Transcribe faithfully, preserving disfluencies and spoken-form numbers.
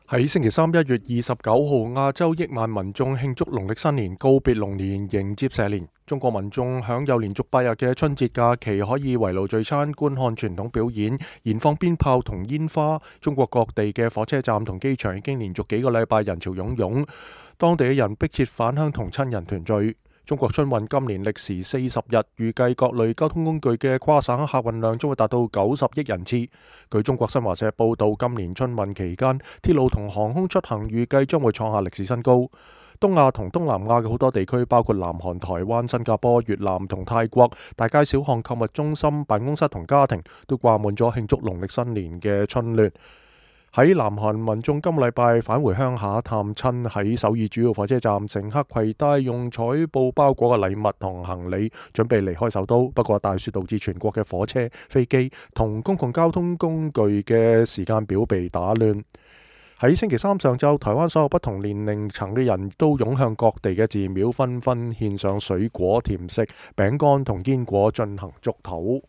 喺星期三一月二十九號，亞洲億萬民眾慶祝農曆新年，告別龍年，迎接蛇年。中國民眾享有連續八日嘅春節假期，可以圍爐聚餐、觀看傳統表演、燃放鞭炮同煙花。中國各地嘅火車站同機場已經連續幾個禮拜人潮湧湧，當地嘅人迫切返鄉同親人團聚。中國春運今年歷時四十日，預計各類交通工具嘅跨省客運量將會達到九十億人次。據中國新華社報道，今年春運期間，鐵路同航空出行預計將會創下歷史新高。東亞同東南亞嘅好多地區，包括南韓、台灣、新加坡、越南同泰國，大街小巷、購物中心、辦公室同家庭都掛滿咗慶祝農曆新年嘅春聯。喺南韓，民眾今個禮拜返回鄉下探親，喺首爾主要火車站，乘客攜帶用彩布包裹嘅禮物同行李，準備離開首都。不過大雪導致全國嘅火車、飛機同公共交通工具嘅時間表被打亂。喺星期三上晝，台灣所有不同年齡層嘅人都湧向各地嘅寺廟，紛紛獻上水果、甜食、餅乾同堅果進行祝禱。